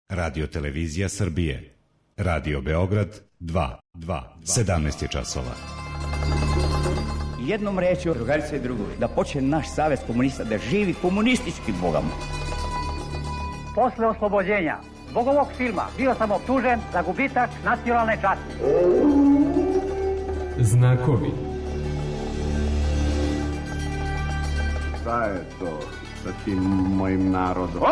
Radio Televizija Srbije. Radio Beograd 2. 17 je časova. Jednom rečju, drugarice i drugovi, da počne naš savez komunista da živi komunistički, Boga mu. Posle oslobođenja zbog ovog filma bio sam optužen za gubitak nacionalne časti. Znakovi. Šta je to sa tim mojim narodom?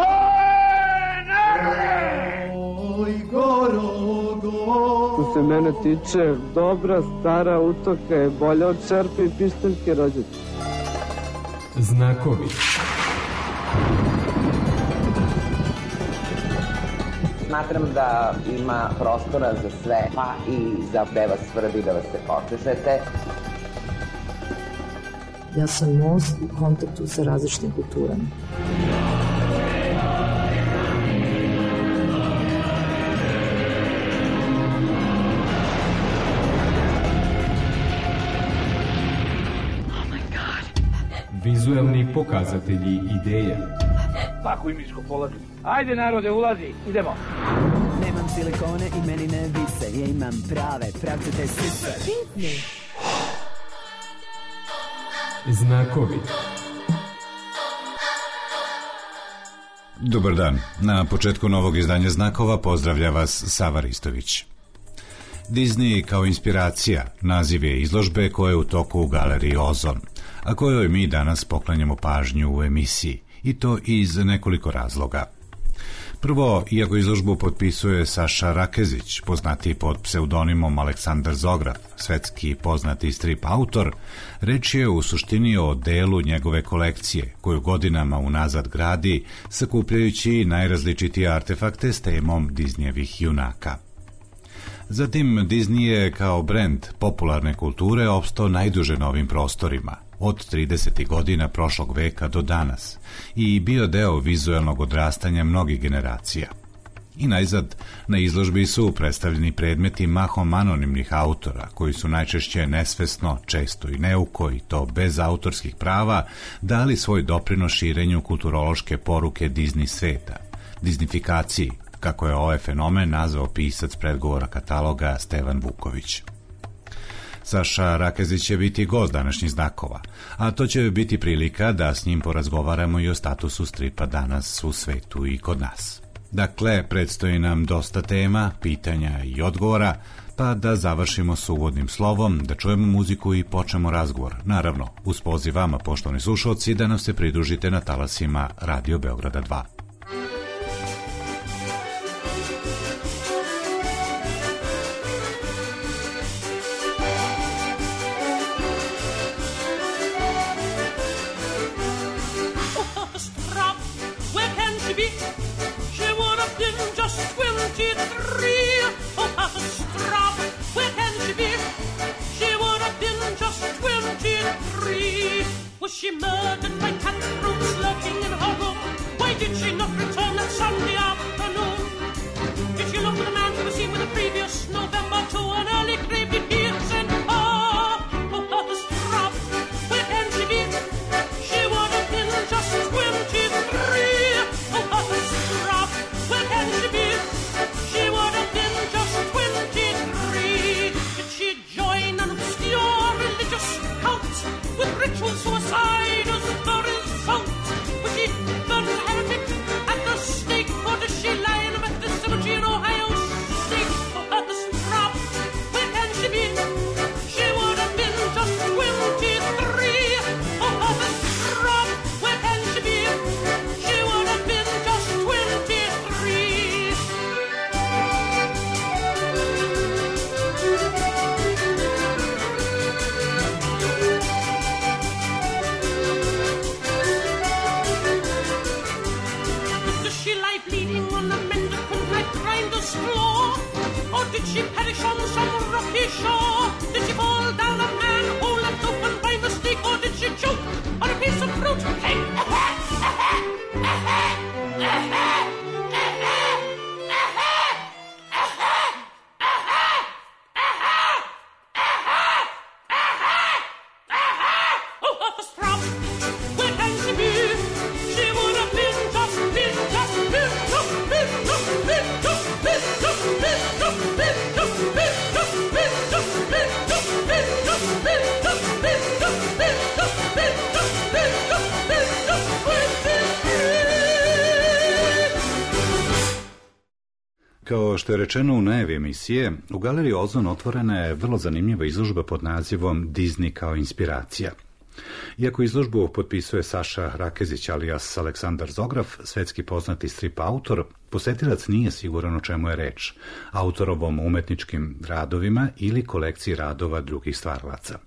Oj, Gorogo. Što se mene tiče, dobra stara utoka je bolja od čerpe i pištaljke rođačke. Znakovi. Smatram da ima prostora za sve, pa i za da vas svrbi da vas se počešete. Ja sam most u kontaktu sa različitim kulturama. Vizuelni pokazatelji ideja. Pakuj miško, polazi. Ajde narode, ulazi, idemo. Nemam silikone i meni ne vise, ja imam prave, pravcate sise. Pitni. Znakovi. Dobar dan. Na početku novog izdanja Znakova pozdravlja vas Sava Ristović. Disney kao inspiracija naziv je izložbe koja je u toku u galeriji Ozon, a kojoj mi danas poklanjamo pažnju u emisiji, i to iz nekoliko razloga. Prvo, iako izložbu potpisuje Saša Rakezić, poznatiji pod pseudonimom Aleksandar Zograf, svetski poznati strip autor, reč je u suštini o delu njegove kolekcije, koju godinama unazad gradi, sakupljajući najrazličitije artefakte s temom Disneyevih junaka. Zatim, Disney je kao brend popularne kulture opstao najduže na ovim prostorima, od 30. godina prošlog veka do danas, i bio deo vizuelnog odrastanja mnogih generacija. I najzad, na izložbi su predstavljeni predmeti mahom anonimnih autora, koji su najčešće nesvesno, često i neuko, i to bez autorskih prava, dali svoj doprinos širenju kulturološke poruke Disney sveta, Disneyfikaciji, kako je ovaj fenomen nazvao pisac predgovora kataloga Stevan Vuković. Saša Rakezić će biti gost današnjih Znakova, a to će biti prilika da s njim porazgovaramo i o statusu stripa danas u svetu i kod nas. Dakle, predstoji nam dosta tema, pitanja i odgovora, pa da završimo s uvodnim slovom, da čujemo muziku i počnemo razgovor. Naravno, uz poziv vama, poštovani slušalci, da nam se pridružite na talasima Radio Beograda 2. She murdered by cutthroats lurking in her room. Why did she not return that Sunday afternoon? Did she look for the man who was seen with the previous November to an early grave? Did he send her? Oh, her strap, where can she be? She would have been just 23. Oh, her strap, where can she be? She would have been just 23. Did she join an obscure religious cult with ritual suicide as the result? Was she burned a heretic at the stake, or does she lie in a Methodist cemetery in Ohio State? For her the strap, where can she be? She would have been just 23. Oh, her the strap, where can she be? She would have been just 23. Bleeding on the mendicant like grinder's floor? Or did she perish on some rocky shore? Did she fall down a manhole left open by mistake? Or did she choke on a piece of fruit? Hey, oh, the strap, where can she be? She would have been just Kao što je rečeno u najavi emisije, u Galeriji Ozon otvorena je vrlo zanimljiva izložba pod nazivom Disney kao inspiracija. Iako izložbu potpisuje Saša Rakezić alias Aleksandar Zograf, svetski poznati strip autor, posetilac nije siguran o čemu je reč, autorovom umetničkim radovima ili kolekciji radova drugih stvaralaca.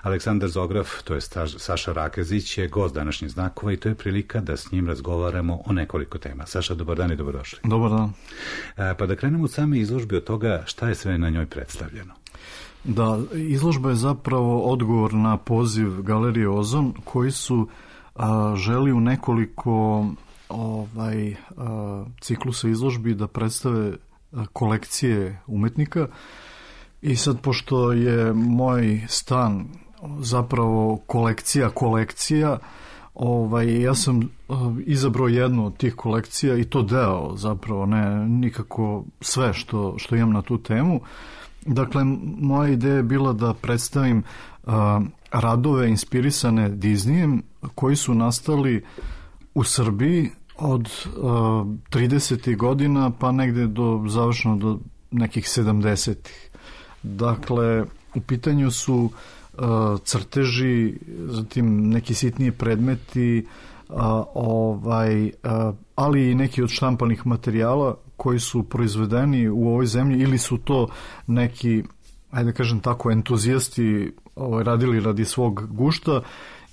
Aleksandar Zograf, to je Saša Rakezić, je gost današnjih znakova i to je prilika da s njim razgovaramo o nekoliko tema. Saša, dobar dan i dobrodošli. Dobar dan. Pa da krenemo od same izložbe, od toga šta je sve na njoj predstavljeno. Da, izložba je zapravo odgovor na poziv Galerije Ozon, koji su želi u nekoliko ciklusa izložbi da predstave kolekcije umetnika. I sad, pošto je moj stan zapravo kolekcija, ja sam izabrao jednu od tih kolekcija i to deo zapravo, ne nikako sve što imam na tu temu. Dakle, moja ideja je bila da predstavim radove inspirisane Disneyem koji su nastali u Srbiji od 30. godina pa negde završno do nekih 70. Dakle, u pitanju su crteži, zatim neki sitniji predmeti, ali i neki od štampanih materijala koji su proizvedeni u ovoj zemlji ili su to neki, ajde kažem tako, entuzijasti radili radi svog gušta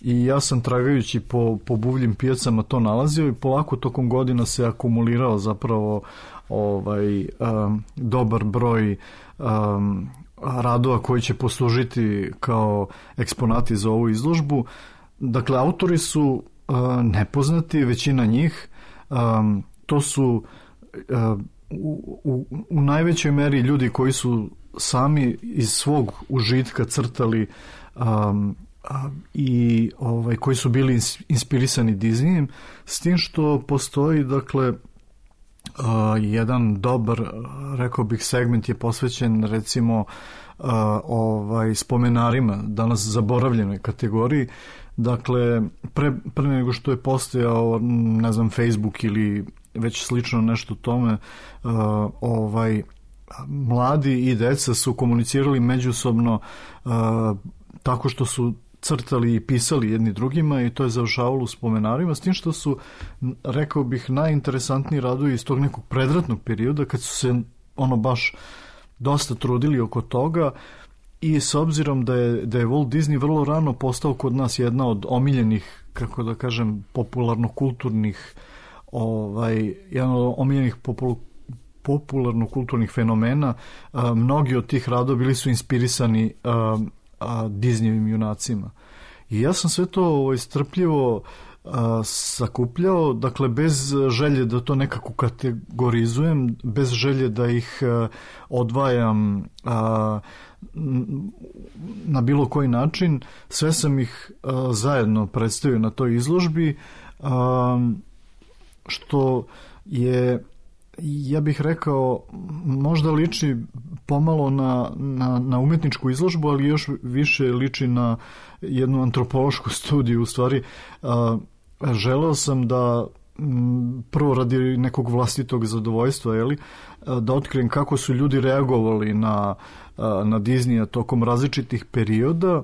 i ja sam tragajući po buvljim pijacama to nalazio i polako tokom godina se akumulirao zapravo dobar broj radova koji će poslužiti kao eksponati za ovu izložbu. Dakle, autori su nepoznati, većina njih. To su u najvećoj meri ljudi koji su sami iz svog užitka crtali i koji su bili inspirisani Disneyem, s tim što postoji, dakle, jedan dobar, rekao bih, segment je posvećen recimo spomenarima, danas zaboravljenoj kategoriji. Dakle, pre nego što je postojao, ne znam, Facebook ili već slično nešto tome, mladi i deca su komunicirali međusobno tako što su crtali i pisali jedni drugima i to je završavalo u spomenarima, s tim što su, rekao bih, najinteresantniji radovi iz tog nekog predratnog perioda kad su se baš dosta trudili oko toga i s obzirom da je Walt Disney vrlo rano postao kod nas jedna od omiljenih, kako da kažem, popularno-kulturnih jedan od omiljenih popularno-kulturnih fenomena, mnogi od tih radova bili su inspirisani Disneyevim junacima. I ja sam sve to strpljivo sakupljao, dakle, bez želje da to nekako kategorizujem, bez želje da ih odvajam na bilo koji način. Sve sam ih zajedno predstavio na toj izložbi, što je, ja bih rekao, možda liči pomalo na umetničku izložbu, ali još više liči na jednu antropološku studiju. U stvari, želeo sam da prvo radi nekog vlastitog zadovoljstva, da otkrijem kako su ljudi reagovali na Disneya tokom različitih perioda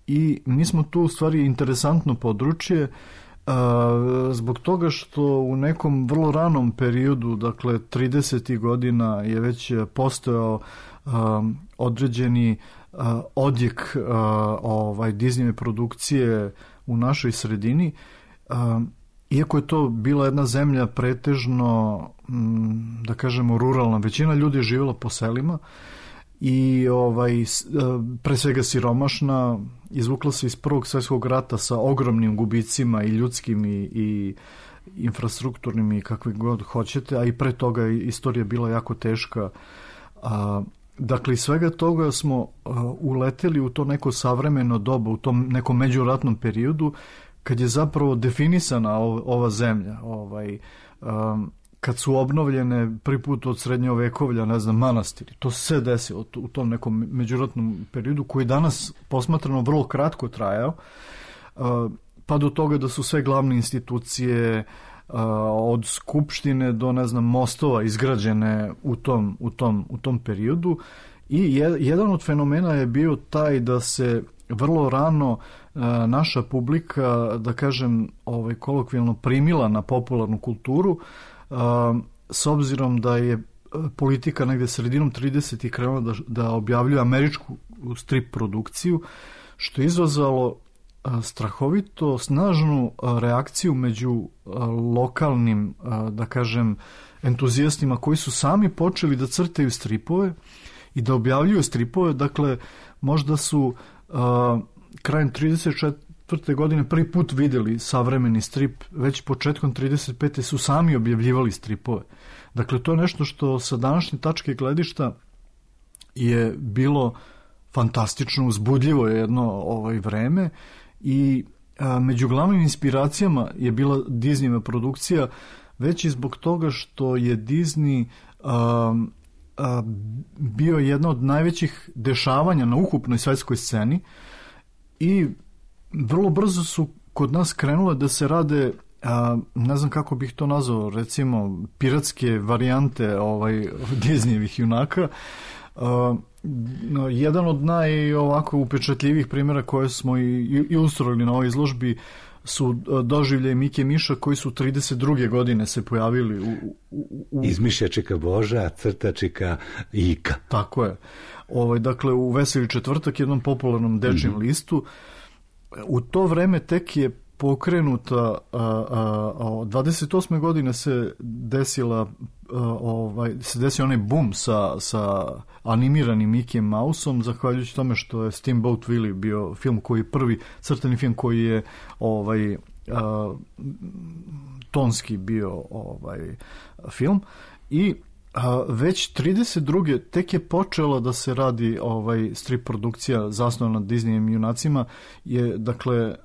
i mi smo tu u stvari interesantno područje zbog toga što u nekom vrlo ranom periodu, dakle 30. godina, je već postojao određeni odjek Disneyve produkcije u našoj sredini. Iako je to bila jedna zemlja pretežno, da kažemo, ruralna, većina ljudi je živjela po selima i pre svega siromašna, izvukla se iz Prvog svjetskog rata sa ogromnim gubicima i ljudskim i infrastrukturnim i kakvi god hoćete, a i pre toga istorija bila jako teška. Dakle, iz svega toga smo uleteli u to neko savremeno doba, u tom nekom međuratnom periodu, kad je zapravo definisana ova zemlja, kad su obnovljene prvi put od srednjovekovlja, ne znam, manastiri. To se sve desilo u tom nekom međuratnom periodu koji danas posmatrano vrlo kratko trajao, pa do toga da su sve glavne institucije od skupštine do, ne znam, mostova izgrađene u tom periodu. I jedan od fenomena je bio taj da se vrlo rano naša publika, da kažem, kolokvijalno primila na popularnu kulturu, s obzirom da je politika negde sredinom 30. krenula da objavljuje američku strip produkciju, što je izazvalo strahovito snažnu reakciju među lokalnim, da kažem, entuzijastima koji su sami počeli da crtaju stripove i da objavljuju stripove. Dakle, možda su krajem 34. godine prvi put videli savremeni strip, već početkom 35. su sami objavljivali stripove. Dakle, to je nešto što sa današnje tačke gledišta je bilo fantastično, uzbudljivo je jedno vreme i među glavnim inspiracijama je bila Disneyeva produkcija, već i zbog toga što je Disney bio jedno od najvećih dešavanja na ukupnoj svetskoj sceni i vrlo brzo su kod nas krenule da se rade, ne znam kako bih to nazvao, recimo piratske varijante Disneyevih junaka. Jedan od najovako upečatljivih primjera koje smo i ilustrali na ovoj izložbi su doživljaji Mike Miša koji su 32. godine se pojavili Izmišljačika Boža, crtačika Ika. Tako je. Dakle, u Veseli četvrtak, jednom popularnom dečijem listu. U to vreme tek je pokrenuta, 28. godine se desio onaj boom sa animiranim Mickey Mouseom, zahvaljujući tome što je Steamboat Willie bio film prvi crtani film koji je tonski bio film i već 32. tek je počela da se radi strip produkcija zasnovana na Disneyevim junacima, je dakle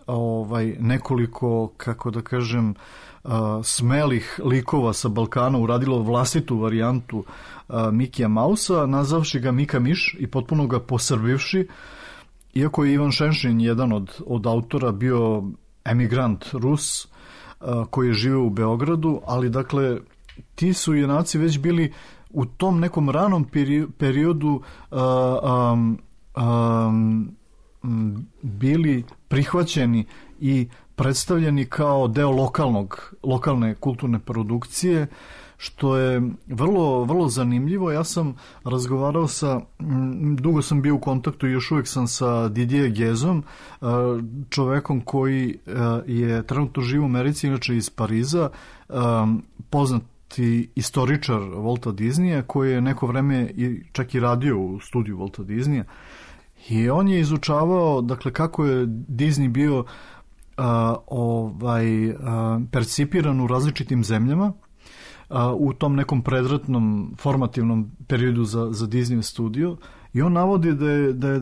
nekoliko, kako da kažem, smelih likova sa Balkana uradilo vlastitu varijantu Mikija Mausa, nazavši ga Mika Miš i potpuno ga posrbivši, iako je Ivan Šenšin, jedan od autora, bio emigrant Rus koji je živio u Beogradu, ali dakle ti su junaci već bili u tom nekom ranom periodu bili prihvaćeni i predstavljeni kao deo lokalne kulturne produkcije, što je vrlo, vrlo zanimljivo. Ja sam razgovarao dugo sam bio u kontaktu i još uvijek sam sa Didier Gezom, čovekom koji je trenutno živ u Americi, inače iz Pariza, poznati istoričar Walta Disneya, koji je neko vreme čak i radio u studiju Walta Disneya. I on je izučavao, dakle, kako je Disney bio percipiran u različitim zemljama u tom nekom predratnom formativnom periodu za Disney studio, i on navodi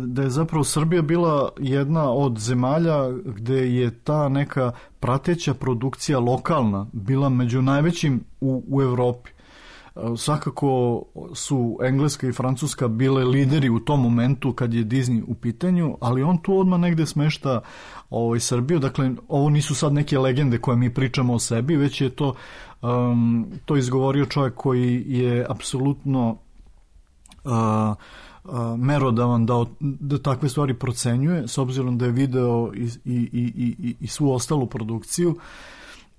da je zapravo Srbija bila jedna od zemalja gde je ta neka prateća produkcija lokalna bila među najvećim u Evropi. Svakako su Engleska i Francuska bile lideri u tom momentu kad je Disney u pitanju, ali on tu odmah negde smešta Srbiju. Dakle, ovo nisu sad neke legende koje mi pričamo o sebi, već je to izgovorio čovjek koji je apsolutno merodavan da takve stvari procenjuje, s obzirom da je video i svu ostalu produkciju.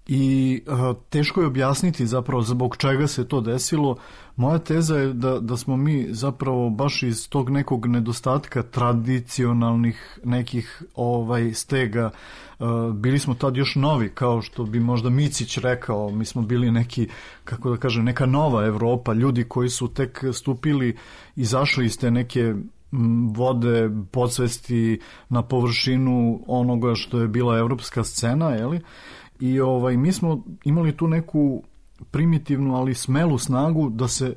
I teško je objasniti zapravo zbog čega se to desilo. Moja teza je da smo mi zapravo baš iz tog nekog nedostatka tradicionalnih nekih stega, bili smo tad još novi, kao što bi možda Micić rekao, mi smo bili neki, kako da kažem, neka nova Evropa, ljudi koji su tek stupili, izašli iz te neke vode podsvesti na površinu onoga što je bila evropska scena, jeli? I mi smo imali tu neku primitivnu, ali smelu snagu da se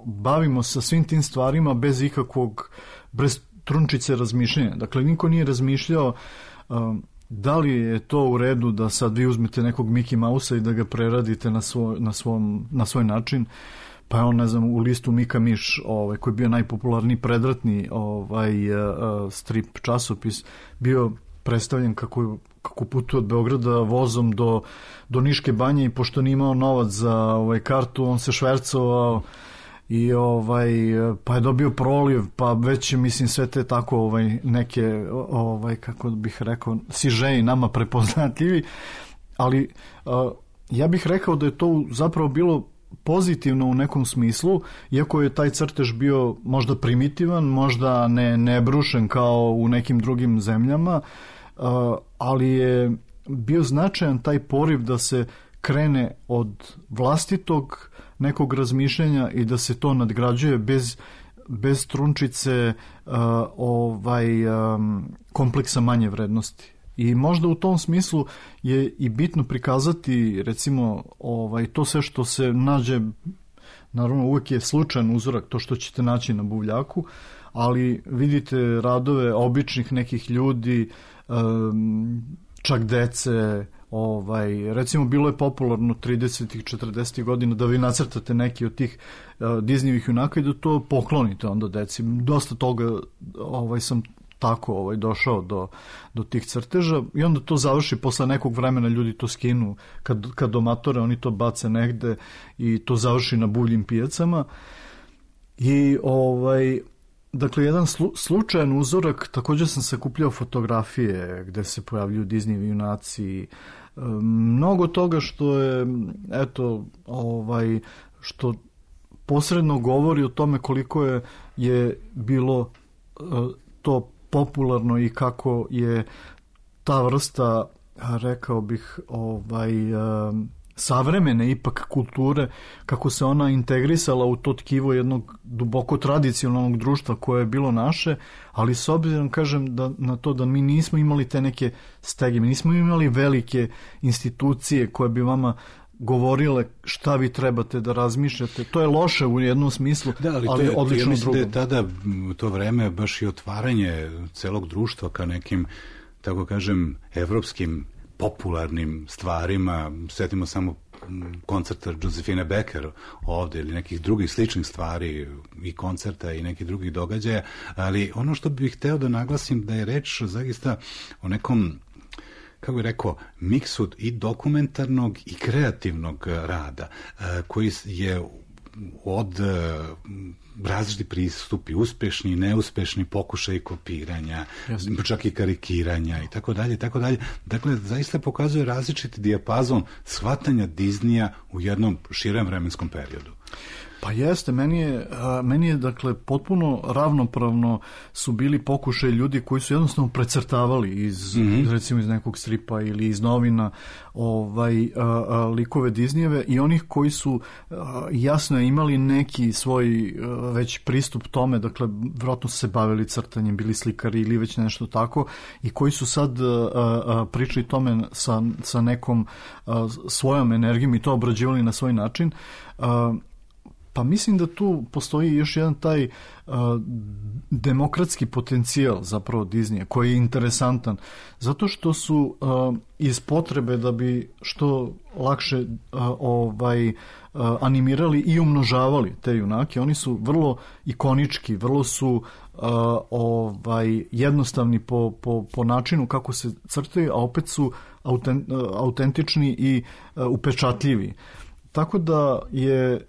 bavimo sa svim tim stvarima bez trunčice razmišljanja. Dakle, niko nije razmišljao da li je to u redu da sad vi uzmete nekog Mickey Mouse-a i da ga preradite na svoj način. Pa je on, ne znam, u listu Mika Miš, koji je bio najpopularniji predratni strip časopis, bio predstavljen kako putuje od Beograda vozom do Niške banje i pošto nije imao novac za kartu, on se švercovao i pa je dobio proliv, pa već mislim sve te tako neke kako bih rekao sižeji nama prepoznatljivi, ali ja bih rekao da je to zapravo bilo pozitivno u nekom smislu, iako je taj crtež bio možda primitivan, možda ne brušen kao u nekim drugim zemljama, ali je bio značajan taj poriv da se krene od vlastitog nekog razmišljanja i da se to nadgrađuje bez trunčice kompleksa manje vrednosti. I možda u tom smislu je i bitno prikazati recimo to sve što se nađe, naravno uvek je slučajan uzorak to što ćete naći na buvljaku, ali vidite radove običnih nekih ljudi, čak dece, recimo bilo je popularno 30-ih, 40-ih godina da vi nacrtate neki od tih Disneyevih junaka i da to poklonite onda deci. Dosta toga sam tako došao do tih crteža i onda to završi, posle nekog vremena ljudi to skinu kad domatore, oni to bace negde i to završi na buvljim pijacama i dakle jedan slučajan uzorak, također sam sakupljao fotografije gde se pojavljuju Disneyevi junaci, mnogo toga što je što posredno govori o tome koliko je bilo to popularno i kako je ta vrsta, rekao bih, savremene ipak kulture, kako se ona integrisala u to tkivo jednog duboko tradicionalnog društva koje je bilo naše, ali s obzirom, kažem, na to da mi nismo imali te neke stege, mi nismo imali velike institucije koje bi vama govorile šta vi trebate da razmišljate. To je loše u jednom smislu, ali odlično u drugom. Ja mislim da je tada to vreme baš i otvaranje celog društva ka nekim, tako kažem, evropskim popularnim stvarima. Sjetimo samo koncerta Josefine Becker ovde ili nekih drugih sličnih stvari i koncerta i nekih drugih događaja, ali ono što bih hteo da naglasim da je reč zaista o nekom, kako bih rekao, miksu i dokumentarnog i kreativnog rada koji je od različiti pristupi, uspešni i neuspešni pokušaj kopiranja, čak i karikiranja i tako dalje, tako dalje. Dakle, zaista pokazuje različiti dijapazon shvatanja Disneya u jednom širem vremenskom periodu. Pa jeste, meni je dakle potpuno ravnopravno su bili pokušaj ljudi koji su jednostavno precrtavali recimo iz nekog stripa ili iz novina likove Disneyjeve i onih koji su jasno imali neki svoj već pristup tome, dakle vjerojatno su se bavili crtanjem, bili slikari ili već nešto tako i koji su sad pričali tome sa nekom svojom energijom i to obrađivali na svoj način. Pa mislim da tu postoji još jedan taj demokratski potencijal zapravo Disneya koji je interesantan zato što su iz potrebe da bi što lakše animirali i umnožavali te junake, oni su vrlo ikonički, vrlo su jednostavni po načinu kako se crtaju, a opet su autentični i upečatljivi. Tako da je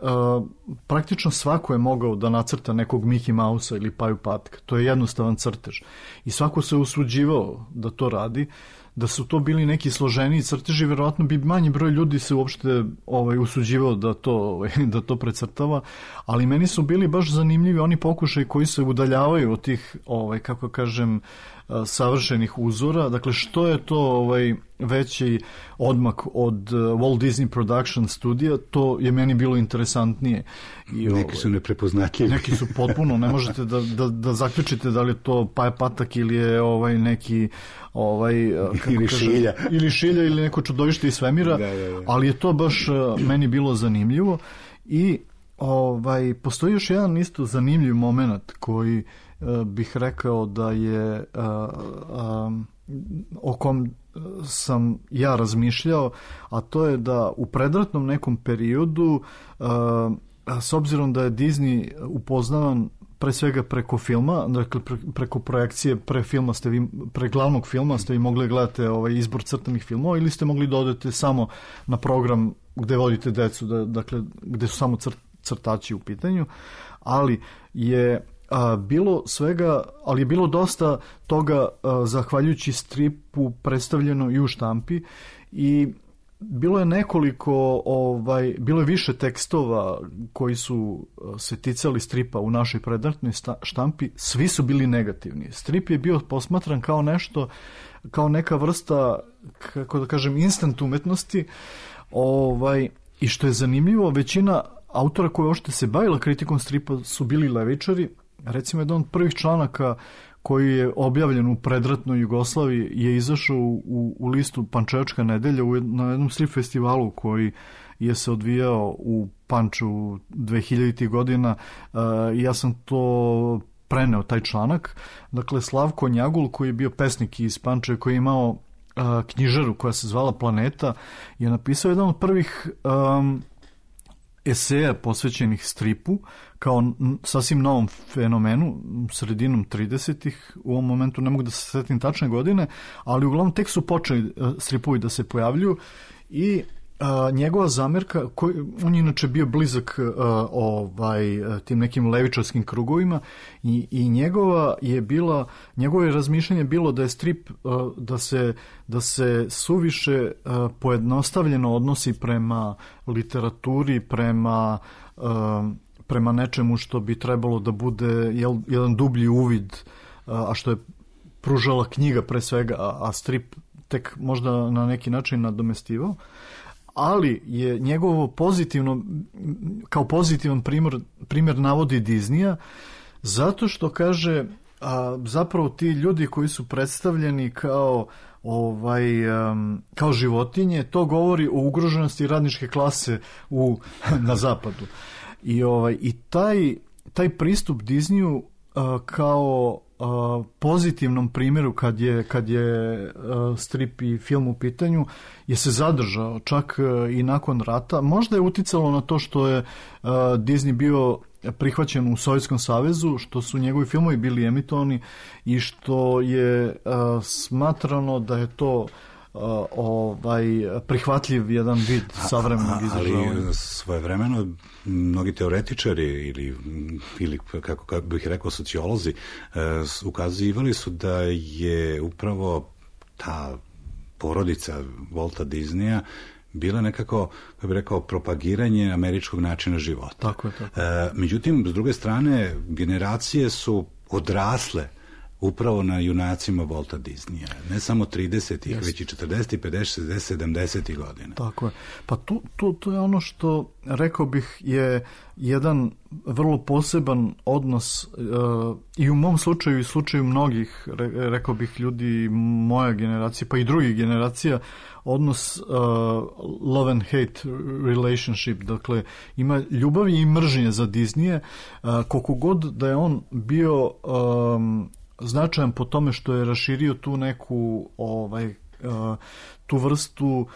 praktično svako je mogao da nacrta nekog Mickey Mouse-a ili Paju Patka. To je jednostavan crtež. I svako se usuđivao da to radi. Da su to bili neki složeniji crteži, verovatno bi manji broj ljudi se uopšte usuđivao da to precrtava, ali meni su bili baš zanimljivi oni pokušaj koji se udaljavaju od tih, kako kažem, savršenih uzora. Dakle, što je to veći odmak od Walt Disney Production studija, to je meni bilo interesantnije. Neki su neprepoznatljivi. Neki su potpuno, ne možete da zaključite da li je to Paja Patak ili je neki ili šilja ili neko čudovište iz svemira, ali je to baš meni bilo zanimljivo i postoji još jedan isto zanimljiv moment koji bih rekao da je o kom sam ja razmišljao, a to je da u predratnom nekom periodu s obzirom da je Disney upoznavan pre svega preko filma, dakle preko projekcije pre glavnog filma ste vi mogli gledati izbor crtanih filmova ili ste mogli da odete samo na program gde vodite decu, dakle gde su samo crtači u pitanju, ali je bilo svega, ali je bilo dosta toga zahvaljujući stripu predstavljeno i u štampi i bilo je nekoliko, bilo je više tekstova koji su se ticali stripa u našoj predratnoj štampi, svi su bili negativni. Strip je bio posmatran kao nešto, kao neka vrsta, kako da kažem, instant umetnosti, i što je zanimljivo, većina autora koji uopšte se bavila kritikom stripa su bili levičari. Recimo, jedan od prvih članaka koji je objavljen u predratnoj Jugoslaviji je izašao u listu Pančevačka nedelja na jednom strip festivalu koji je se odvijao u Panču 2000. godina. Ja sam to preneo, taj članak. Dakle, Slavko Njagul, koji je bio pesnik iz Pančeva, koji je imao knjižaru koja se zvala Planeta, je napisao jedan od prvih eseja posvećenih stripu kao sasvim novom fenomenu, sredinom 30-ih, u ovom momentu ne mogu da se setim tačne godine, ali uglavnom tek su počeli stripovi da se pojavljuju i njegova zamerka, on je inače bio blizak tim nekim levičarskim krugovima i njegovo je razmišljanje bilo da je strip da se suviše pojednostavljeno odnosi prema literaturi, prema nečemu što bi trebalo da bude jedan dublji uvid, a što je pružala knjiga pre svega, a strip tek možda na neki način nadomestivao. Ali je njegovo kao pozitivan primjer navodi Disneya, zato što kaže zapravo ti ljudi koji su predstavljeni kao životinje, to govori o ugroženosti radničke klase na zapadu. I taj pristup Disneyu kao pozitivnom primjeru kad je strip i film u pitanju je se zadržao čak i nakon rata. Možda je uticalo na to što je Disney bio prihvaćen u Sovjetskom savezu, što su njegovi filmovi bili emitovani i što je smatrano da je to prihvatljiv jedan vid savremenog izražavanja. Ali svojevremeno mnogi teoretičari ili kako bih rekao sociolozi ukazivali su da je upravo ta porodica Walta Disneya bila nekako, kako bih rekao, propagiranje američkog načina života. Tako. Međutim, s druge strane, generacije su odrasle upravo na junacima Walta Disneya. Ne samo 30-ih, već i 40-ih, 50-ih, 60-ih, 70-ih godina. To je ono što, rekao bih, je jedan vrlo poseban odnos i u mom slučaju i slučaju mnogih, rekao bih, ljudi moja generacija, pa i drugih generacija, odnos love and hate relationship. Dakle, ima ljubavi i mržnje za Disneye, koliko god da je on bio značajan po tome što je raširio tu neku tu vrstu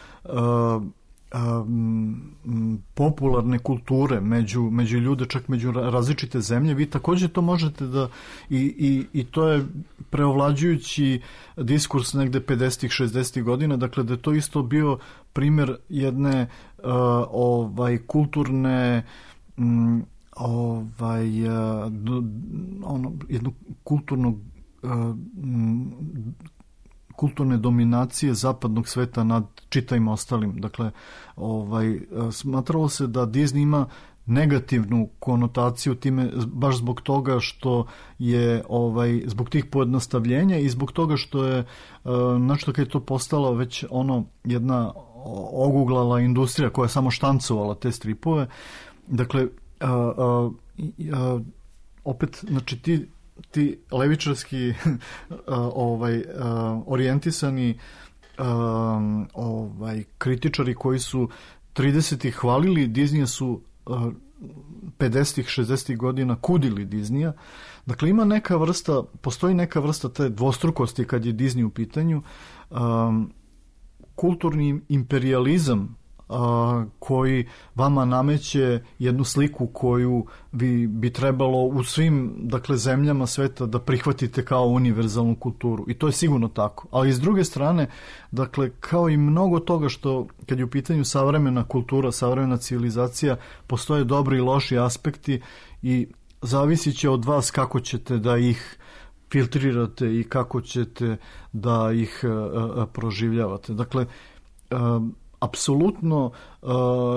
popularne kulture među ljude, čak među različite zemlje. Vi također to možete da i to je preovlađujući diskurs negde 50-ih, 60-ih godina, dakle da je to isto bio primjer jedne kulturne jednu kulturne dominacije zapadnog sveta nad čitavim ostalim. Dakle, smatralo se da Disney ima negativnu konotaciju time baš zbog toga što je zbog tih pojednostavljenja i zbog toga što je znači kad je to postala već jedna oguglala industrija koja je samo štancovala te stripove. Dakle, opet, znači ti levičarski orijentisani kritičari koji su 30-ih hvalili Disneya su 50-ih, 60-ih godina kudili Disneya. Dakle, postoji neka vrsta te dvostrukosti kad je Disney u pitanju. Kulturni imperializam koji vama nameće jednu sliku koju vi bi trebalo u svim, dakle, zemljama sveta da prihvatite kao univerzalnu kulturu. I to je sigurno tako. Ali s druge strane, dakle, kao i mnogo toga što, kad je u pitanju savremena kultura, savremena civilizacija, postoje dobri i loši aspekti i zavisit će od vas kako ćete da ih filtrirate i kako ćete da ih proživljavate. Dakle, apsolutno,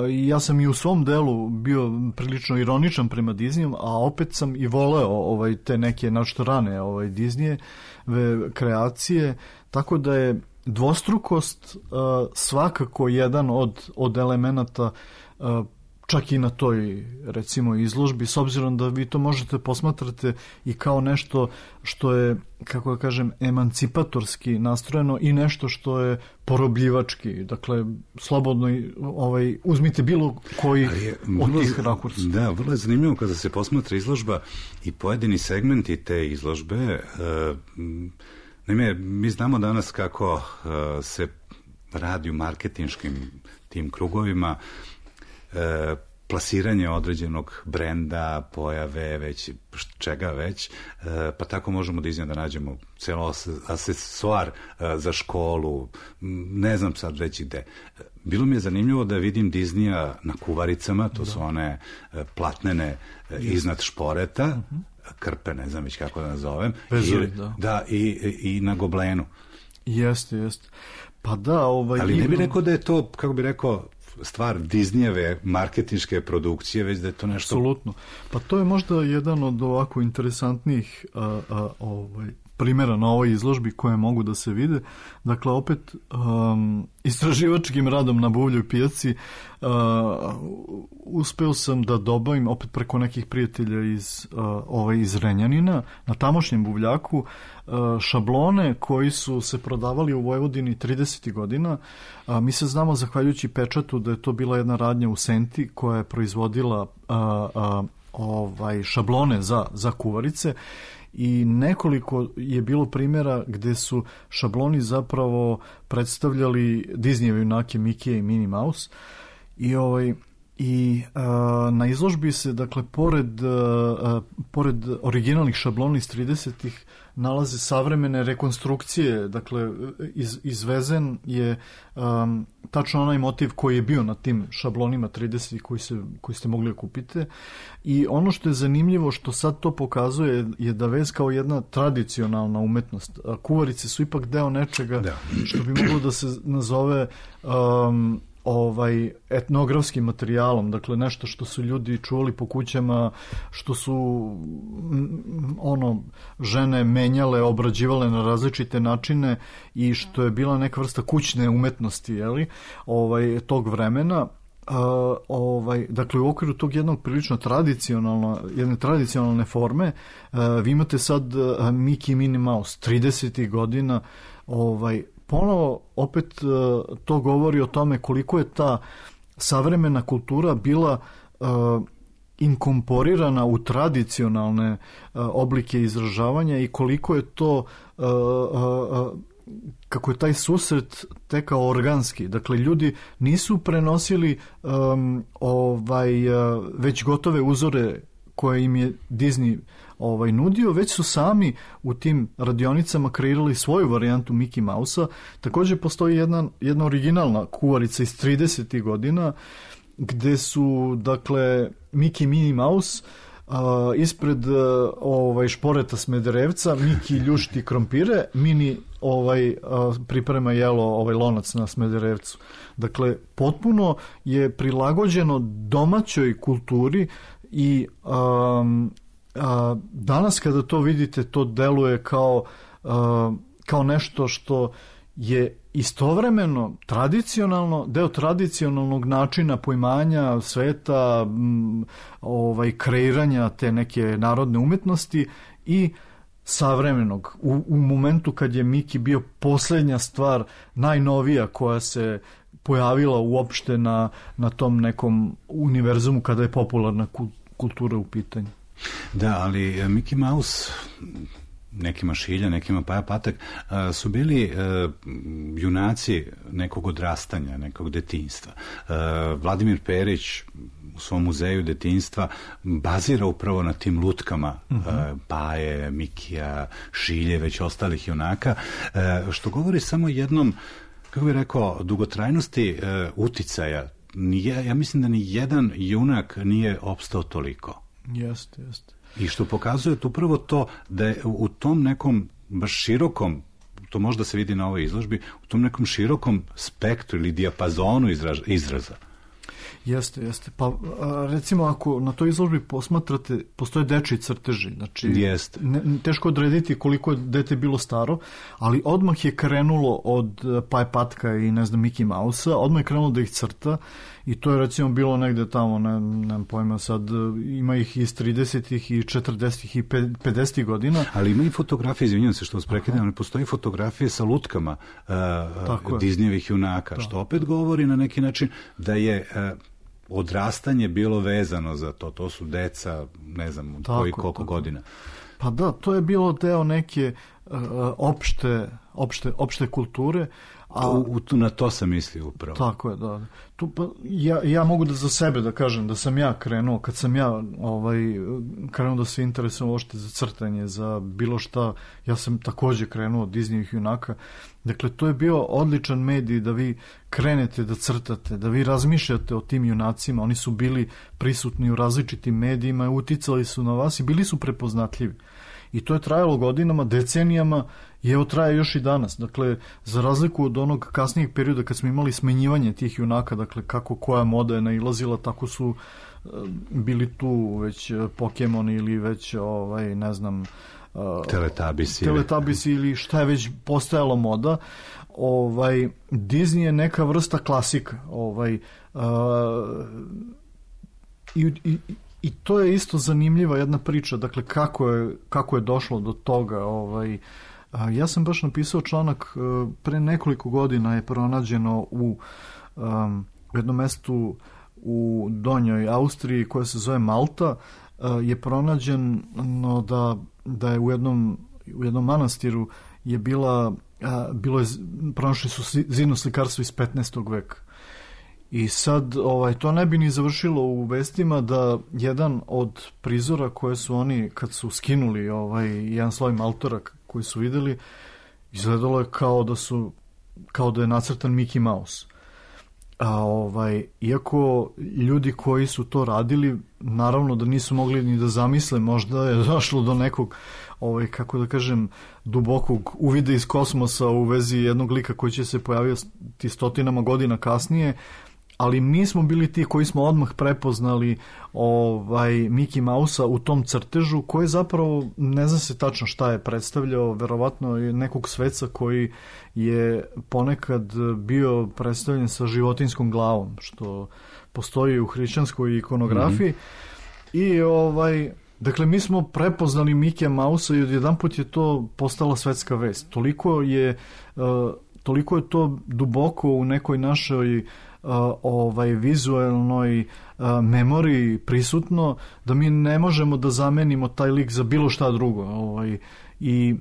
ja sam i u svom delu bio prilično ironičan prema Disneyu, a opet sam i voleo te neke našto rane Disneyeve kreacije, tako da je dvostrukost svakako jedan od elemenata čak i na toj, recimo, izložbi, s obzirom da vi to možete posmatrate i kao nešto što je, kako da kažem, emancipatorski nastrojeno i nešto što je porobljivački. Dakle, slobodno uzmite bilo koji od tih rakursa. Da, vrlo je zanimljivo kada se posmatra izložba i pojedini segmenti te izložbe. Naime, mi znamo danas kako se radi u marketinškim tim krugovima, plasiranje određenog brenda, pojave, već čega već, pa tako možemo da nađemo celo asesoar za školu, ne znam sad već gde. Bilo mi je zanimljivo da vidim Disneya na kuvaricama, to su one platnene iznad šporeta, krpe, ne znam već kako da nazovem, i na goblenu. Jeste. Pa da, ali ne bih rekao da je to, kako bih rekao, stvar Disneyjeve marketinške produkcije, već da je to nešto... Apsolutno. Pa to je možda jedan od ovako interesantnih primjera na ovoj izložbi koje mogu da se vide. Dakle, opet istraživačkim radom na buvljoj pijaci uspeo sam da dobavim opet preko nekih prijatelja iz Renjanina na tamošnjem buvljaku šablone koji su se prodavali u Vojvodini 30. godina. Mi se znamo, zahvaljujući pečatu, da je to bila jedna radnja u Senti koja je proizvodila šablone za kuvarice i nekoliko je bilo primjera gde su šabloni zapravo predstavljali Disneyjeve junake Mikija i Minnie Mouse i na izložbi se, dakle, pored originalnih šablona iz 30-ih nalaze savremene rekonstrukcije, dakle, izvezen je tačno onaj motiv koji je bio na tim šablonima 30-ih koji ste mogli da kupite. I ono što je zanimljivo, što sad to pokazuje, je da vez kao jedna tradicionalna umetnost. Kuvarice su ipak deo nečega što bi moglo da se nazove etnografskim materijalom, dakle nešto što su ljudi čuvali po kućama, što su žene menjale, obrađivale na različite načine i što je bila neka vrsta kućne umetnosti, tog vremena. Dakle, u okviru tog jednog prilično jedne tradicionalne forme vi imate sad Mickey i Minnie Mouse 30. godina. Ponovo opet to govori o tome koliko je ta savremena kultura bila inkorporirana u tradicionalne oblike izražavanja i koliko je to, kako je taj susret tekao organski. Dakle, ljudi nisu prenosili već gotove uzore koje im je Disney nudio, već su sami u tim radionicama kreirali svoju varijantu Mickey Mouse-a. Također postoji jedna originalna kuvarica iz 30. godina gde su, dakle, Mickey i Minnie Mouse ispred šporeta Smederevca, Mickey ljušti krompire, Minnie priprema jelo lonac na Smederevcu. Dakle, potpuno je prilagođeno domaćoj kulturi i danas kada to vidite, to deluje kao nešto što je istovremeno tradicionalno, deo tradicionalnog načina poimanja sveta, kreiranja te neke narodne umetnosti i savremenog. U momentu kad je Mickey bio posljednja stvar, najnovija koja se pojavila uopšte na tom nekom univerzumu kada je popularna kultura u pitanju. Da, ali Mickey Mouse nekima Šilja, nekima Paja Patak, su bili junaci nekog odrastanja, nekog detinjstva. Vladimir Perić u svom muzeju detinjstva bazira upravo na tim lutkama Paje, Mikija, Šilje, već ostalih junaka, što govori samo jednom, kako bih rekao, dugotrajnosti uticaja. Ja mislim da ni jedan junak nije opstao toliko. Jeste. I što pokazuje upravo to da je u tom nekom baš širokom, to možda se vidi na ovoj izložbi, u tom nekom širokom spektru ili dijapazonu izraza. Jeste. Pa recimo ako na toj izložbi posmatrate, postoje dečji crteži. Znači, teško odrediti koliko je dete bilo staro, ali odmah je krenulo od Paje Patka i ne znam Mickey Mouse-a, odmah je krenulo da ih crta i to je recimo bilo negde tamo, nemam pojma sad, ima ih iz 30-ih i 40-ih i 50-ih godina. Ali ima i fotografije, izvinjam se što vas prekidam, ali postoji fotografije sa lutkama Disneyevih junaka, što opet govori na neki način da je odrastanje bilo vezano za to. To su deca, ne znam, koji koliko godina. Pa da, to je bilo deo neke opšte kulture. Na to sam mislio upravo. Tako je, da. Ja mogu da za sebe da kažem da sam ja krenuo, kad sam ja krenuo da se interesujem uopšte za crtanje, za bilo šta, ja sam takođe krenuo od Disneyevih junaka. Dakle, to je bio odličan medij da vi krenete da crtate, da vi razmišljate o tim junacima. Oni su bili prisutni u različitim medijima, uticali su na vas i bili su prepoznatljivi. I to je trajalo godinama, decenijama i evo traje još i danas. Dakle, za razliku od onog kasnijeg perioda kad smo imali smenjivanje tih junaka, dakle kako koja moda je nailazila, tako su bili tu već Pokemoni ili već ne znam, Teletubbies ili šta je već postojalo moda. Disney je neka vrsta klasika. I to je isto zanimljiva jedna priča, dakle kako je došlo do toga. Ja sam baš napisao članak pre nekoliko godina, je pronađeno u jednom mestu u Donjoj Austriji koja se zove Malta, je pronađeno da je u jednom manastiru je pronašli su zidno slikarstvo iz 15. veka. I sad to ne bi ni završilo u vestima da jedan od prizora koje su oni, kad su skinuli jedan sloj maltora koji su videli, izgledalo je kao da je nacrtan Mickey Mouse. Iako ljudi koji su to radili, naravno da nisu mogli ni da zamisle, možda je došlo do nekog, kako da kažem, dubokog uvida iz kosmosa u vezi jednog lika koji će se pojaviti stotinama godina kasnije, ali mi smo bili ti koji smo odmah prepoznali Mickey Mouse-a u tom crtežu, koji zapravo, ne zna se tačno šta je predstavljao, verovatno je nekog sveca koji je ponekad bio predstavljen sa životinskom glavom, što postoji u hrišćanskoj ikonografiji. I dakle, mi smo prepoznali Mickey Mouse-a i odjedanput je to postala svetska vest. Toliko je to duboko u nekoj našoj vizualnoj memoriji prisutno, da mi ne možemo da zamenimo taj lik za bilo šta drugo. I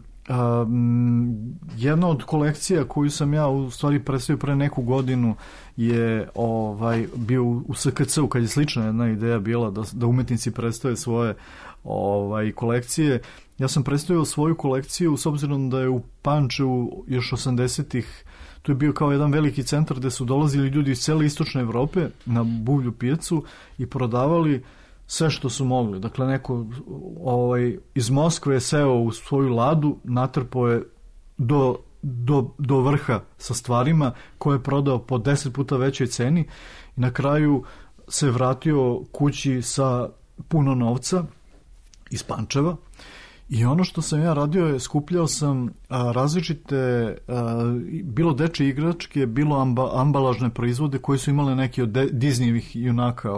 jedna od kolekcija koju sam ja u stvari predstavio pre neku godinu je bio u SKC-u, kad je slična jedna ideja bila da umetnici predstave svoje kolekcije. Ja sam predstavio svoju kolekciju s obzirom da je u Pančevu još 80-ih, to je bio kao jedan veliki centar gde su dolazili ljudi iz cele istočne Evrope na buvlju pijacu i prodavali sve što su mogli. Dakle, neko iz Moskve je seo u svoju ladu, natrpao je do vrha sa stvarima koje je prodao po 10 puta većoj ceni i na kraju se vratio kući sa puno novca iz Pančeva. I ono što sam ja radio je, skupljao sam različite, bilo dečje igračke, bilo ambalažne proizvode koji su imali neki od Disneyevih junaka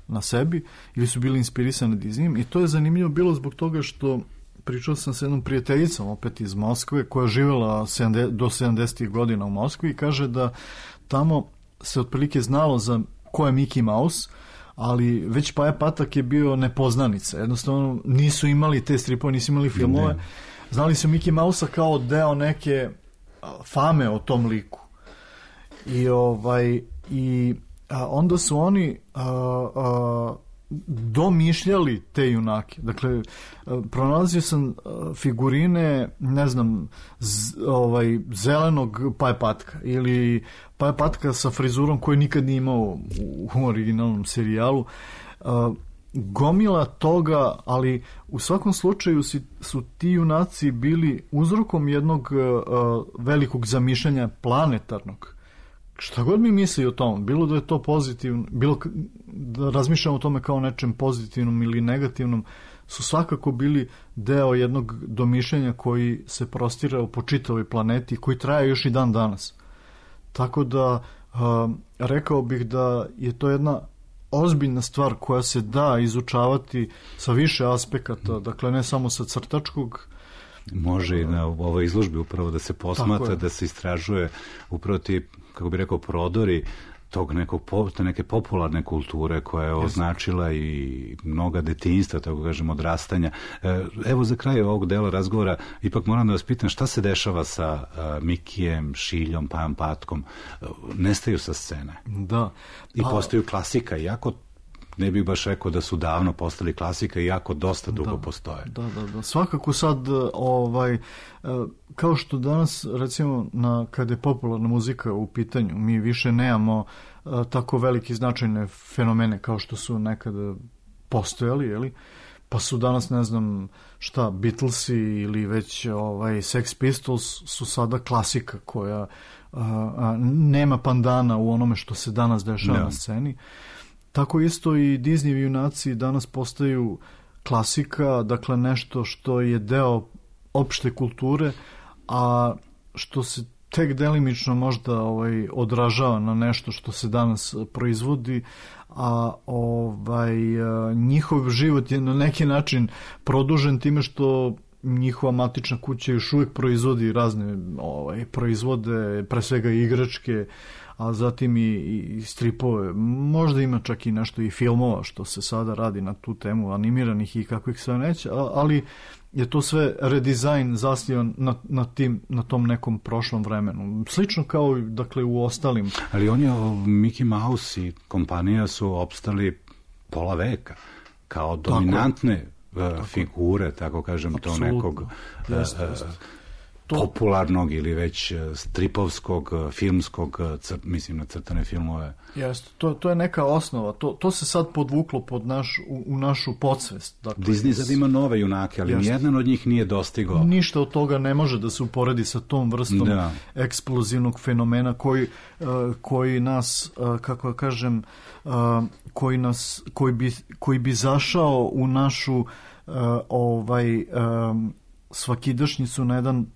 na sebi ili su bili inspirisani Disneyem. I to je zanimljivo bilo zbog toga što pričao sam s jednom prijateljicom opet iz Moskve koja je živjela do 70. godina u Moskvi i kaže da tamo se otprilike znalo za ko je Mickey Mouse, ali već Paja Patak je bio nepoznanica. Jednostavno nisu imali te stripove, nisu imali filmove. Ne. Znali su Mickey Mouse-a kao deo neke fame o tom liku. I onda su oni domišljali te junake. Dakle, pronalazio sam figurine, ne znam, zelenog Paja Patka ili Paja Patka sa frizurom koju nikad nije imao u originalnom serijalu. Gomila toga, ali u svakom slučaju su ti junaci bili uzrokom jednog velikog zamišljanja planetarnog. Šta god mi misli o tom, bilo da je to pozitivno, bilo da razmišljamo o tome kao nečem pozitivnom ili negativnom, su svakako bili deo jednog domišljanja koji se prostirao po čitavoj planeti, koji traje još i dan danas. Tako da rekao bih da je to jedna ozbiljna stvar koja se da izučavati sa više aspekata, dakle ne samo sa crtačkog. Može i na ovoj izložbi upravo da se posmatra, da se istražuje upravo ti, kako bi rekao, prodori tog neke popularne kulture koja je označila i mnoga detinjstva, tako kažem, odrastanja. Evo za kraj ovog dela razgovora ipak moram da vas pitam šta se dešava sa Mikijem, Šiljom, Pajom Patkom. Nestaju sa scene. Da. I postaju klasika, iako ne bih baš rekao da su davno postali klasika, iako dosta dugo postoje. Da. Svakako sad, kao što danas, recimo, kada je popularna muzika u pitanju, mi više nemamo tako veliki značajne fenomene kao što su nekada postojali, jeli? Pa su danas, ne znam šta, Beatlesi ili već Sex Pistols su sada klasika koja nema pandana u onome što se danas dešava na sceni. Tako isto i Disney junaci danas postaju klasika, dakle nešto što je deo opšte kulture, a što se tek delimično možda odražava na nešto što se danas proizvodi, a njihov život je na neki način produžen time što njihova matična kuća još uvijek proizvodi razne proizvode, pre svega igračke, a zatim i stripove. Možda ima čak i nešto i filmova što se sada radi na tu temu, animiranih i kakvih sve neće, ali je to sve redizajn zasnivan na tom nekom prošlom vremenu. Slično kao dakle u ostalim. Ali on je, Mickey Mouse i kompanija su opstali pola veka kao dominantne figure, tako kažem, to nekog popularnog ili već stripovskog, filmskog, mislim na crtane filmove. Jeste, to je neka osnova, to se sad podvuklo u našu podsvest. Dakle, Disney sad ima nove junake, ali nijedan od njih nije dostigao. Ništa od toga ne može da se uporedi sa tom vrstom eksplozivnog fenomena koji nas, kako kažem, koji bi zašao u našu svakidašnjicu na jedan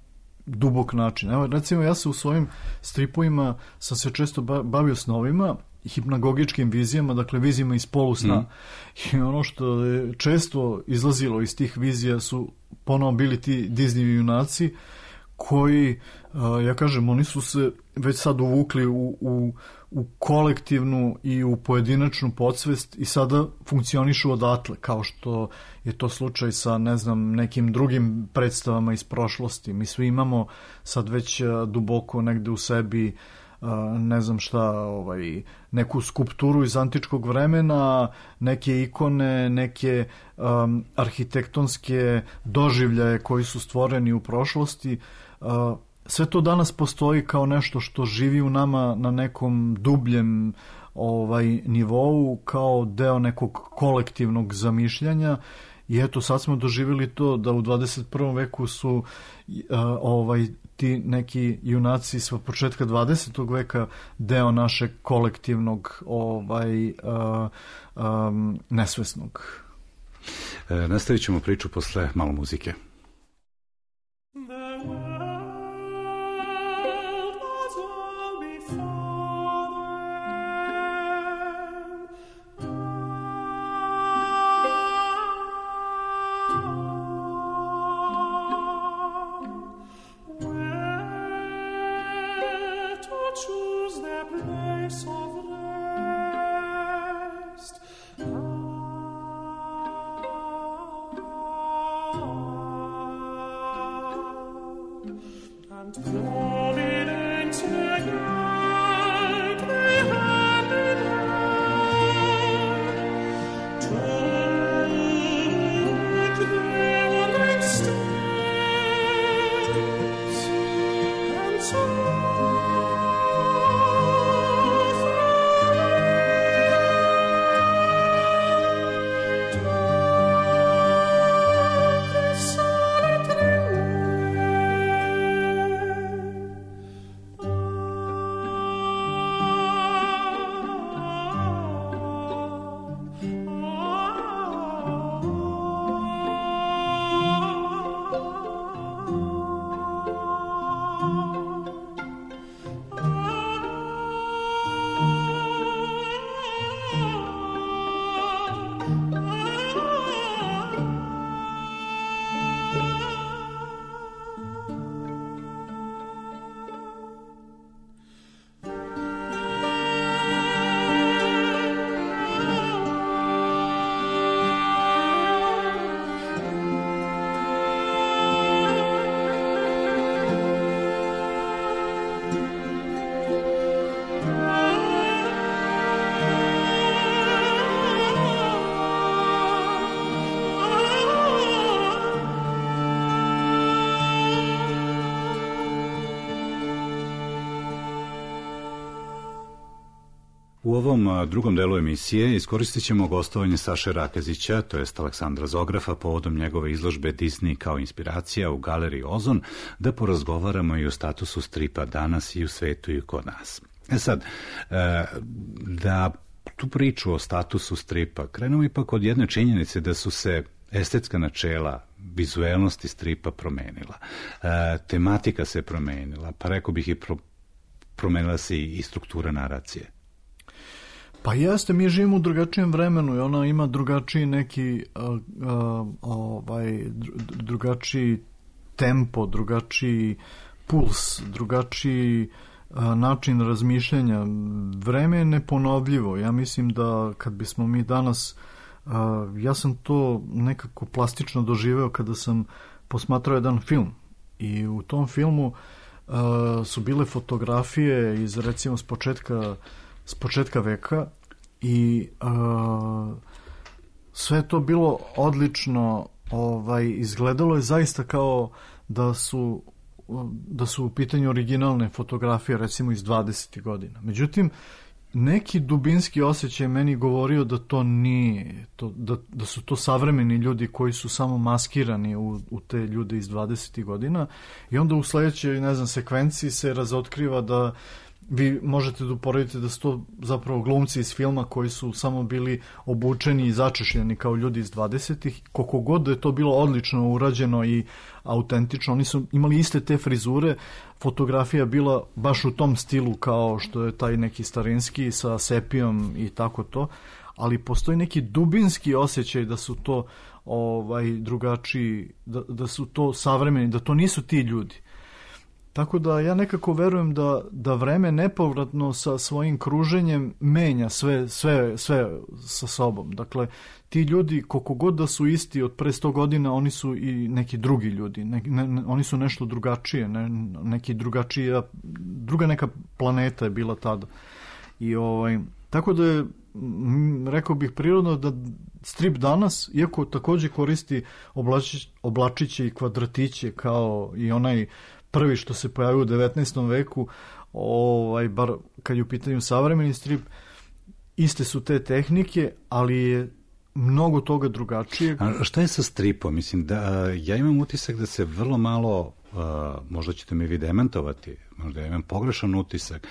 dubok način. Evo, recimo, ja se u svojim stripovima sam se često bavio snovima, hipnagogičkim vizijama, dakle vizijama iz polusna. I ono što je često izlazilo iz tih vizija su ponovo bili ti Disney junaci koji, ja kažem, oni su se već sad uvukli u kolektivnu i u pojedinačnu podsvest i sada funkcionišu odatle, kao što je to slučaj sa, ne znam, nekim drugim predstavama iz prošlosti. Mi svi imamo sad već duboko negde u sebi, ne znam šta, neku skulpturu iz antičkog vremena, neke ikone, neke arhitektonske doživljaje koji su stvoreni u prošlosti. Sve to danas postoji kao nešto što živi u nama na nekom dubljem nivou, kao deo nekog kolektivnog zamišljanja. I eto, sad smo doživjeli to da u 21. veku su ti neki junaci s početka 20. veka deo našeg kolektivnog nesvesnog. Nastavit ćemo priču posle malo muzike. Choose their place of rest. U ovom drugom delu emisije iskoristit ćemo gostovanje Saše Rakezića, to jest Aleksandra Zografa, povodom njegove izložbe Disney kao inspiracija u galeriji Ozon, da porazgovaramo i o statusu stripa danas i u svetu i kod nas. Sad, da tu priču o statusu stripa krenemo ipak od jedne činjenice da su se estetska načela vizuelnosti stripa promenila. Tematika se promenila, pa rekao bih i promenila se i struktura naracije. Pa jeste, mi živimo u drugačijem vremenu i ona ima drugačiji neki drugačiji tempo, drugačiji puls, drugačiji način razmišljanja. Vreme je neponovljivo. Ja mislim da kad bismo mi danas, ja sam to nekako plastično doživeo kada sam posmatrao jedan film i u tom filmu su bile fotografije iz, recimo, s početka veka i sve je to bilo odlično, izgledalo je zaista kao da su u pitanju originalne fotografije, recimo iz 20. godina. Međutim, neki dubinski osjećaj meni govorio da to nije, da su to savremeni ljudi koji su samo maskirani u te ljude iz 20. godina i onda u sledećoj, sekvenciji se razotkriva da vi možete da uporedite da su to zapravo glumci iz filma koji su samo bili obučeni i začešljeni kao ljudi iz 20-ih. Koliko god da je to bilo odlično urađeno i autentično, oni su imali iste te frizure, fotografija bila baš u tom stilu kao što je taj neki starinski sa sepijom i tako to, ali postoji neki dubinski osjećaj da su to drugačiji, da su to savremeni, da to nisu ti ljudi. Tako da ja nekako verujem da vreme nepovratno sa svojim kruženjem menja sve sa sobom. Dakle, ti ljudi, koliko god da su isti od pre 100 godina, oni su i neki drugi ljudi. Oni su nešto drugačije, neki drugačija, druga neka planeta je bila tada. I tako da je, rekao bih prirodno da strip danas, iako takođe koristi oblačiće i kvadratiće kao i onaj prvi što se pojavio u 19. veku, bar kad je u pitanju savremeni strip, iste su te tehnike, ali je mnogo toga drugačije. A šta je sa stripom? Mislim da ja imam utisak da se vrlo malo, možda ćete mi vi demantovati, možda ja imam pogrešan utisak,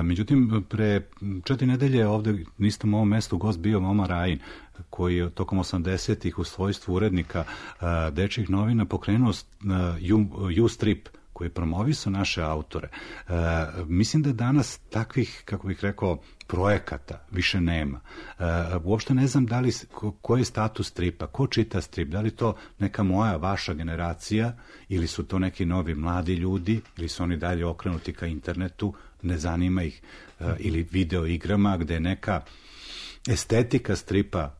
međutim pre 4 nedelje ovde nisam u ovom mestu gost bio Moma Rajin, koji je tokom 80-ih u svojstvu urednika dečjih novina pokrenuo U-strip, koji promovisao naše autore. Mislim da danas takvih, kako bih rekao, projekata više nema. Uopšte ne znam da li, koji je status stripa, ko čita strip, da li to neka moja, vaša generacija, ili su to neki novi mladi ljudi, ili su oni dalje okrenuti ka internetu, ne zanima ih, ili video igrama, gde je neka estetika stripa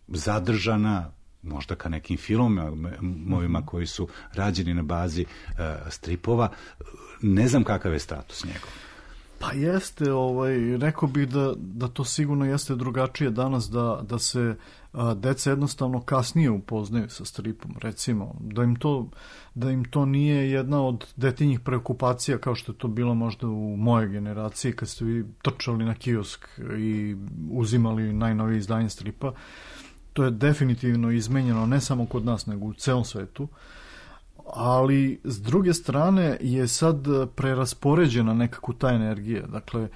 zadržana, možda ka nekim filmovima koji su rađeni na bazi stripova. Ne znam kakav je status njegov. Pa jeste, rekao bih da to sigurno jeste drugačije danas, da se deca jednostavno kasnije upoznaju sa stripom, recimo, da im to nije jedna od detinjih preokupacija kao što je to bilo možda u mojoj generaciji kad ste vi trčali na kiosk i uzimali najnovije izdanje stripa. To je definitivno izmenjeno ne samo kod nas, nego u celom svetu, ali s druge strane je sad preraspoređena nekako ta energija. Dakle,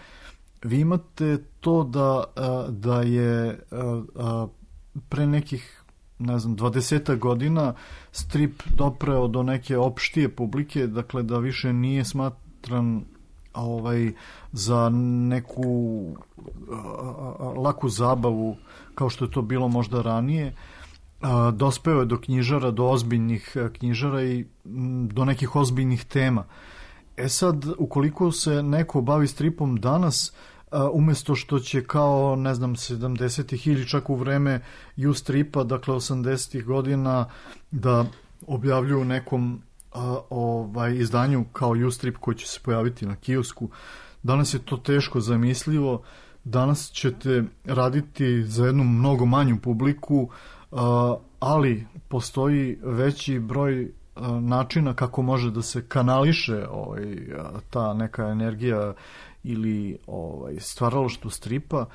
vi imate to da je pre nekih, 20 godina strip dopreo do neke opštije publike, dakle da više nije smatran za neku laku zabavu kao što je to bilo možda ranije. Dospeo je do knjižara, do ozbiljnih knjižara i do nekih ozbiljnih tema. Sad, ukoliko se neko bavi stripom danas, umesto što će kao, 70-ih ili čak u vreme U-stripa, dakle 80-ih godina, da objavljuju nekom izdanju kao U-strip koji će se pojaviti na kiosku. Danas je to teško zamislivo. Danas ćete raditi za jednu mnogo manju publiku, ali postoji veći broj načina kako može da se kanališe ta neka energija ili stvaralaštvu stripa.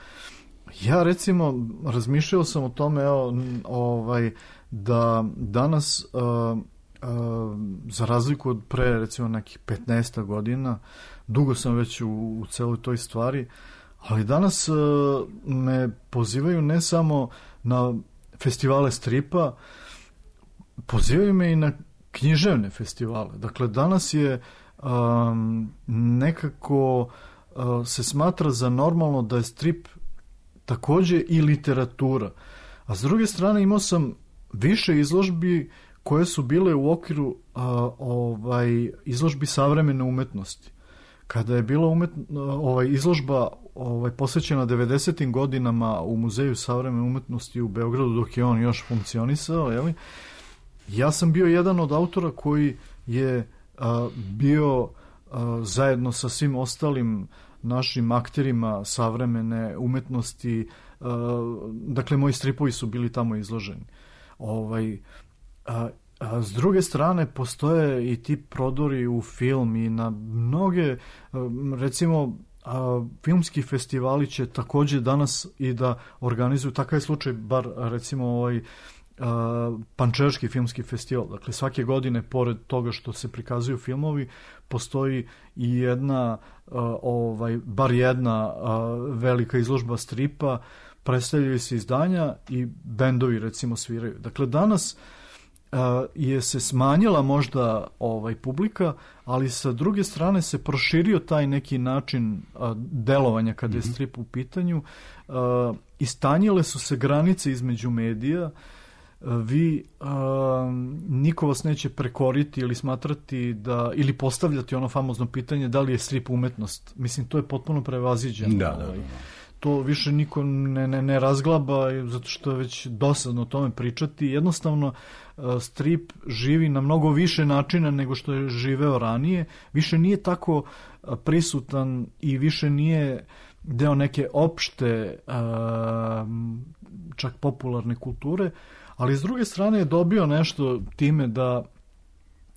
Ja recimo razmišljao sam o tome da danas za razliku od pre recimo nekih 15 godina, dugo sam već u celoj toj stvari, ali danas me pozivaju ne samo na festivale stripa, pozivaju me i na književne festivale. Dakle, danas je nekako se smatra za normalno da je strip takođe i literatura. A s druge strane imao sam više izložbi koje su bile u okviru izložbi savremene umetnosti. Kada je bila izložba posvećena 90. godinama u Muzeju savremene umetnosti u Beogradu, dok je on još funkcionisao, ja sam bio jedan od autora koji je bio zajedno sa svim ostalim našim akterima savremene umetnosti, dakle moji stripovi su bili tamo izloženi. A s druge strane postoje i ti prodori u film i na mnoge, recimo filmski festivali će takođe danas i da organizuju, takav je slučaj bar recimo Pančevački filmski festival. Dakle, svake godine, pored toga što se prikazuju filmovi, postoji i jedna, bar jedna velika izložba stripa, predstavljaju se izdanja i bendovi recimo sviraju. Dakle, danas je se smanjila možda publika, ali sa druge strane se proširio taj neki način delovanja kada je strip u pitanju. Istanjile su se granice između medija. Niko vas neće prekoriti ili smatrati ili postavljati ono famozno pitanje da li je strip umetnost. Mislim, to je potpuno prevaziđeno. Da. To više niko ne razglaba, zato što je već dosadno o tome pričati. Jednostavno, strip živi na mnogo više načina nego što je živeo ranije. Više nije tako prisutan i više nije deo neke opšte, čak popularne kulture, ali s druge strane je dobio nešto time da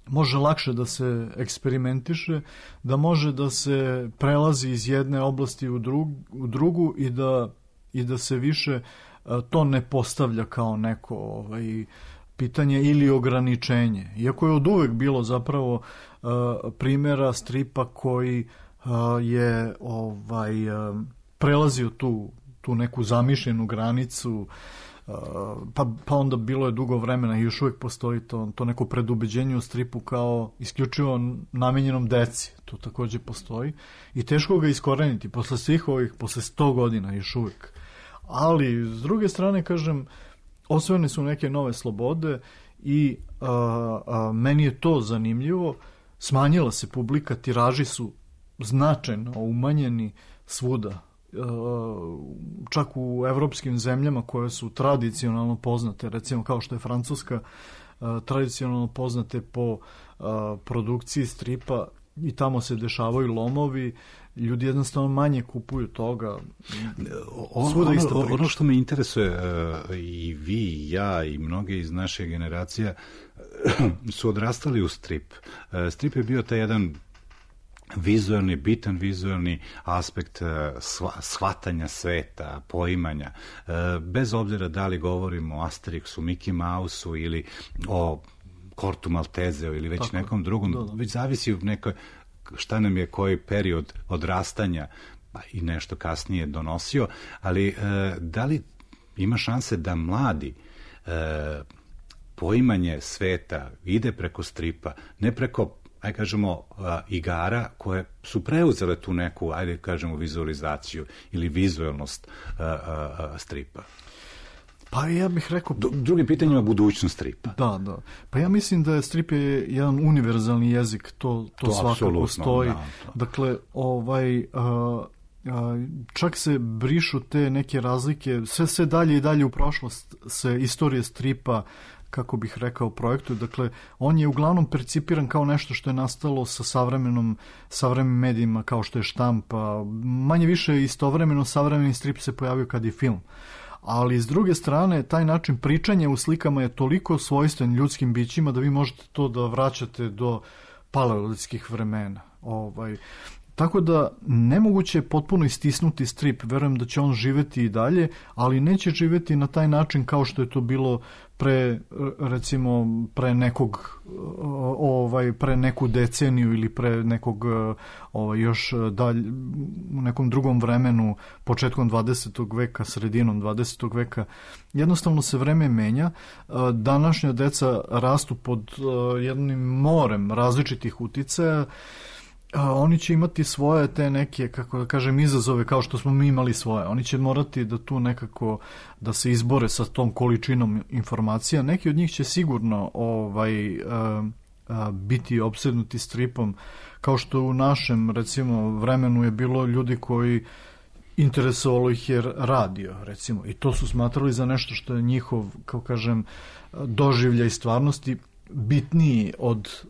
može lakše da se eksperimentiše, da može da se prelazi iz jedne oblasti u drugu i da se više to ne postavlja kao neko pitanje ili ograničenje. Iako je od uvek bilo zapravo primjera stripa koji je prelazio tu neku zamišljenu granicu, pa onda bilo je dugo vremena i još uvijek postoji to neko predubeđenje u stripu kao isključivo namenjenom deci. To takođe postoji i teško ga iskoreniti posle svih ovih, posle 100 godina još uvijek. Ali s druge strane, kažem, osvojene su neke nove slobode i meni je to zanimljivo. Smanjila se publika, tiraži su značajno umanjeni svuda. Čak u evropskim zemljama koje su tradicionalno poznate, recimo kao što je Francuska, tradicionalno poznate po produkciji stripa, i tamo se dešavaju lomovi, ljudi jednostavno manje kupuju toga. Ono što me interesuje, i vi, i ja, i mnoge iz naše generacije su odrastali u strip. Strip je bio taj jedan bitan vizualni aspekt shvatanja sveta, poimanja. Bez obzira da li govorimo o Asterixu, Mickey Mouseu ili o Kortu Maltezeu ili već nekom drugom, već zavisi u nekoj, šta nam je koji period odrastanja pa i nešto kasnije donosio, ali da li ima šanse da mladi poimanje sveta ide preko stripa, ne preko, ajde kažemo, igara koje su preuzele tu neku, ajde kažemo, vizualizaciju ili vizualnost stripa? Pa ja bih rekao... Drugim pitanjima budućnost stripa. Da. Pa ja mislim da je strip je jedan univerzalni jezik, to svakako stoji. Dakle, čak se brišu te neke razlike, sve dalje i dalje u prošlost se istorije stripa, kako bih rekao, projektu. Dakle, on je uglavnom percipiran kao nešto što je nastalo sa savremenim medijima, kao što je štampa. Manje više istovremeno savremeni strip se pojavio kad je film. Ali s druge strane, taj način pričanja u slikama je toliko svojstven ljudskim bićima da vi možete to da vraćate do paleolitskih vremena. Tako da nemoguće je potpuno istisnuti strip, verujem da će on živeti i dalje, ali neće živeti na taj način kao što je to bilo pre neku deceniju ili pre nekog još dalje u nekom drugom vremenu, početkom 20. veka, sredinom 20. veka. Jednostavno se vreme menja. Današnja deca rastu pod jednim morem različitih uticaja. Oni će imati svoje te neke, kako da kažem, izazove kao što smo mi imali svoje. Oni će morati da tu nekako da se izbore sa tom količinom informacija. Neki od njih će sigurno biti opsednuti stripom, kao što u našem, recimo, vremenu je bilo ljudi koji interesovalo ih je radio, recimo, i to su smatrali za nešto što je njihov, kao kažem, doživljaj stvarnosti bitniji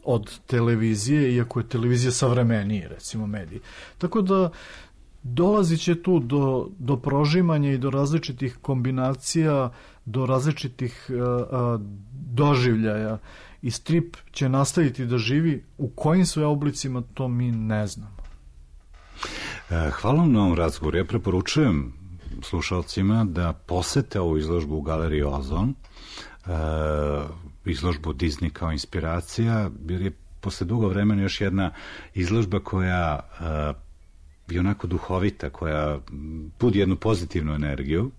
od televizije, iako je televizija savremeniji, recimo, mediji. Tako da dolazit će tu do prožimanja i do različitih kombinacija, do različitih doživljaja, i strip će nastaviti da živi. U kojim sve oblicima, to mi ne znamo. Hvala vam na ovom razgovoru. Ja preporučujem slušalcima da posete ovu izložbu u Galeriji Ozon, izložbu Disney kao inspiracija, jer je posle dugo vremena još jedna izložba koja je onako duhovita, koja budi jednu pozitivnu energiju.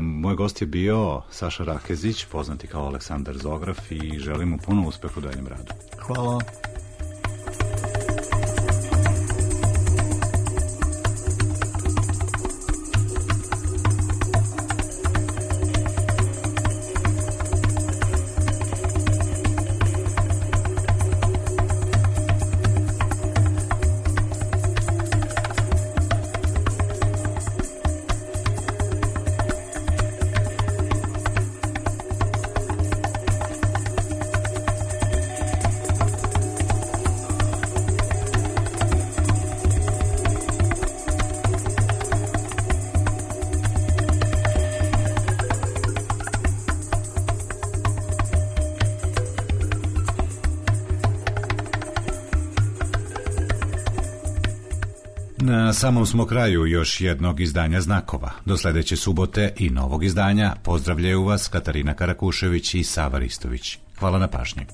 Moj gost je bio Saša Rakezić, poznati kao Aleksandar Zograf, i želim mu puno uspeha u daljem radu. Hvala. Na samom smo kraju još jednog izdanja Znakova. Do sledeće subote i novog izdanja pozdravljaju vas Katarina Karakušević i Sava Ristović. Hvala na pažnji.